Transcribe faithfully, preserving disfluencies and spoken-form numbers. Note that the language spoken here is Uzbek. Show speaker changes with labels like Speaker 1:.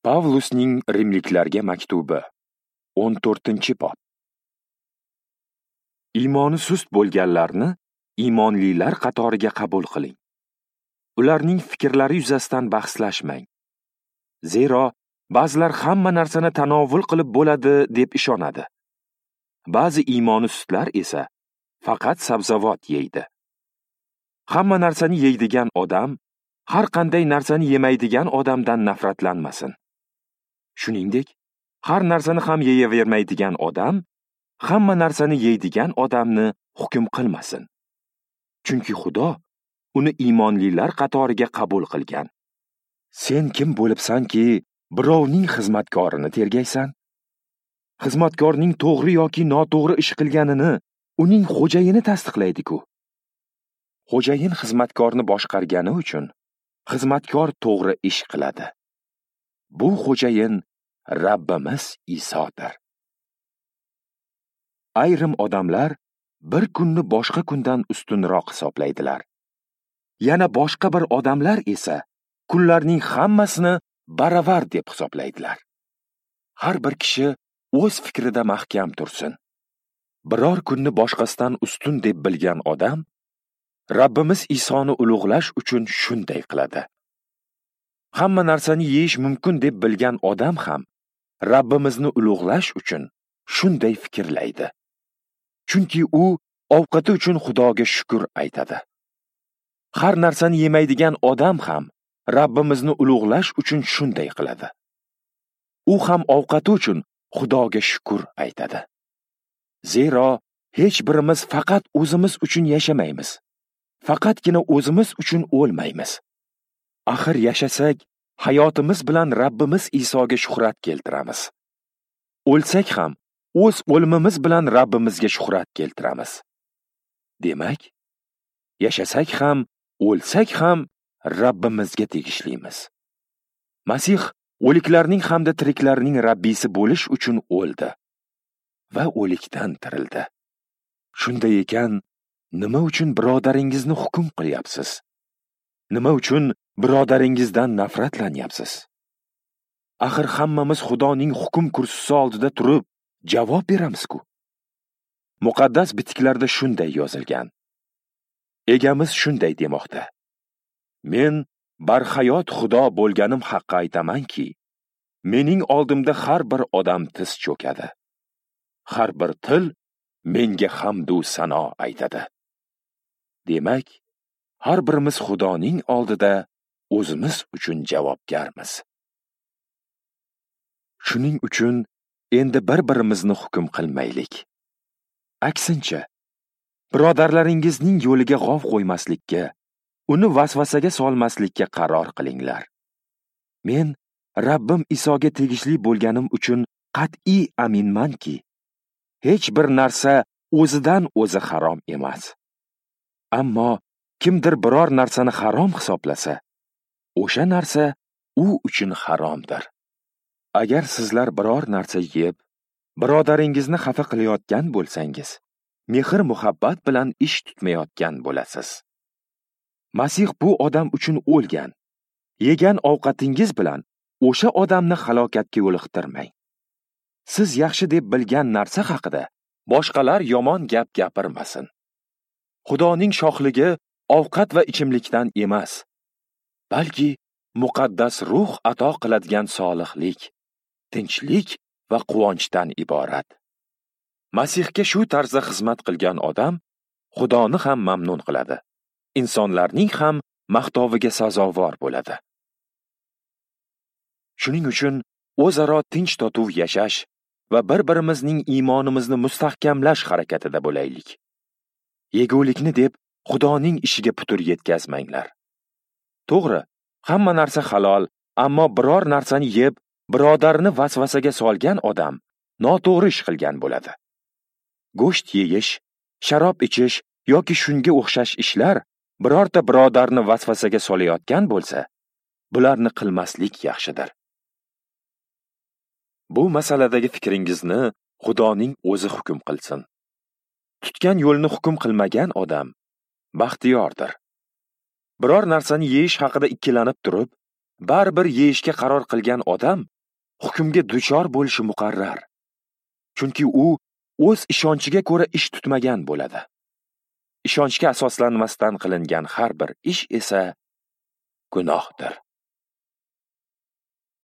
Speaker 1: Pavlusning Rimliklarga maktubi, o'n to'rtinchi bob. Iymoni sust bo'lganlarni iymonlilar qatoriga qabul qiling. Ularning fikrlari yuzasidan bahslashmang. Zero ba'zilar hamma narsani tanovul qilib bo'ladi deb ishonadi. Ba'zi iymoni sustlar esa faqat sabzavot yeydi. Hamma narsani yeydigan odam har qanday narsani yemaydigan odamdan nafratlanmasin. Shuningdek, har narsani ham yeyavermaydigan odam hamma narsani yeydigan odamni hukm qilmasin. Chunki Xudo uni iymonlilar qatoriga qabul qilgan. Sen kim bo'libsanki, birovning xizmatkorini tergaysan? Xizmatkorning to'g'ri yoki noto'g'ri ish qilganini uning xo'jayini tasdiqlaydi-ku. Xo'jayin xizmatkorni boshqargani uchun xizmatkor to'g'ri ish qiladi. Bu xo'jayin Rabbimiz Isodir. Ayrim odamlar bir kunni boshqa kundan ustunroq hisoblaydilar. Yana boshqa bir odamlar esa kunlarning hammasini baravar deb hisoblaydilar. Har bir kishi o'z fikrida mahkam tursin. Biror kunni boshqasidan ustun deb bilgan odam Rabbimiz Isoni ulug'lash uchun shunday qiladi. Hamma narsani yeyish mumkin deb bilgan odam ham Rabbimizni ulug'lash uchun shunday fikrlaydi. Chunki u ovqati uchun Xudoga shukr aytadi. Har narsani yemaydigan odam ham Rabbimizni ulug'lash uchun shunday qiladi. U ham ovqati uchun Xudoga shukr aytadi. Zero hech birimiz faqat o'zimiz uchun yashamaymiz. Faqatgina o'zimiz uchun o'lmaymiz. Axir yashasak, hayotimiz bilan Rabbimiz Isoga shuhrat keltiramiz. O'lsak ham o'z o'limimiz bilan Rabbimizga shuhrat keltiramiz. Demak, yashasak ham, o'lsak ham Rabbimizga tegishlimiz. Masih o'liklarning hamda tiriklarning Rabbisi bo'lish uchun o'ldi va o'likdan tirildi. Shunday ekan, nima uchun birodaringizni hukm qilyapsiz? Nima uchun birodaringizdan nafratlanyapsiz? Axir hammamiz Xudoning hukm kursisi oldida turib javob beramiz-ku. Muqaddas bitiklarda shunday yozilgan. Egamiz shunday demoqda: Men barhayot Xudo bo'lganim haqqa aytamanki, mening oldimda har bir odam tiz cho'kadi. Har bir til menga hamdu sano aytadi. Demak, har birimiz Xudoning oldida o'zimiz uchun javobgarmiz. Shuning uchun endi bir-birimizni hukm qilmaylik. Aksincha, birodarlaringizning yo'liga g'ov qo'ymaslikka, uni vasvasaga solmaslikka qaror qilinglar. Men Rabbim Isoga tegishli bo'lganim uchun qat'iy aminmanki, hech bir narsa o'zidan o'zi harom emas. Ammo kimdir biror narsani harom hisoblasa, o'sha narsa u uchun haromdir. Agar sizlar biror narsa yeb, birodaringizni xafa qilayotgan bo'lsangiz, mehr-muhabbat bilan ish tutmayotgan bo'lasiz. Masih bu odam uchun o'lgan. Yegan ovqatingiz bilan o'sha odamni halokatga yo'liqtirmang. Siz yaxshi deb bilgan narsa haqida boshqalar yomon gap gapirmasin. Xudoning shohligi ovqat va ichimlikdan emas, balki muqaddas ruh ato qiladigan solihlik, tinchlik va quvonchdan iborat. Masihga shu tarzda xizmat qilgan odam Xudoni ham mamnun qiladi, insonlarning ham maqtoviga sazovor bo'ladi. Shuning uchun o'zaro tinch totuv yashash va bir-birimizning iymonimizni mustahkamlash harakatida bo'laylik. Yegulikni deb Xudoning ishiga putur yetkazmanglar. To'g'ri, hamma narsa halol, ammo biror narsani yeb, birodarini vasvasaga solgan odam noto'g'ri ish qilgan bo'ladi. Go'sht yeyish, sharob ichish yoki shunga o'xshash ishlar birorta birodarni vasvasaga solayotgan bo'lsa, bularni qilmaslik yaxshidir. Bu masaladagi fikringizni Xudoning o'zi hukm qilsin. Tutgan yo'lni hukm qilmagan odam baxtiyordir. Biror narsani yeyish haqida ikkilanib turib, baribir yeyishga qaror qilgan odam hukmga duchor bo'lishi muqarrar. Chunki u o'z ishonchiga ko'ra ish tutmagan bo'ladi. Ishonchga asoslanmasdan qilingan har bir ish esa gunohdir.